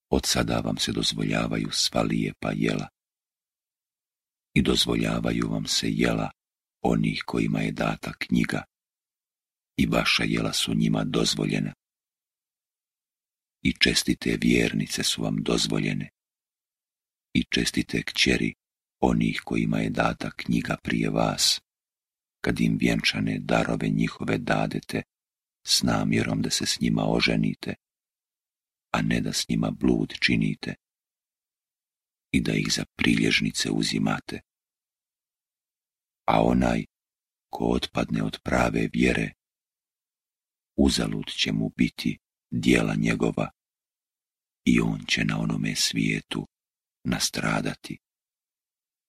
Od sada vam se dozvoljavaju sva lijepa jela i dozvoljavaju vam se jela onih kojima je data knjiga i vaša jela su njima dozvoljena. I čestite vjernice su vam dozvoljene i čestite kćeri onih kojima je data knjiga prije vas, kad im vjenčane darove njihove dadete s namjerom da se s njima oženite, a ne da s njima blud činite i da ih za prilježnice uzimate. A onaj ko otpadne od prave vjere, uzalud će mu biti djela njegova i on će na onome svijetu nastradati.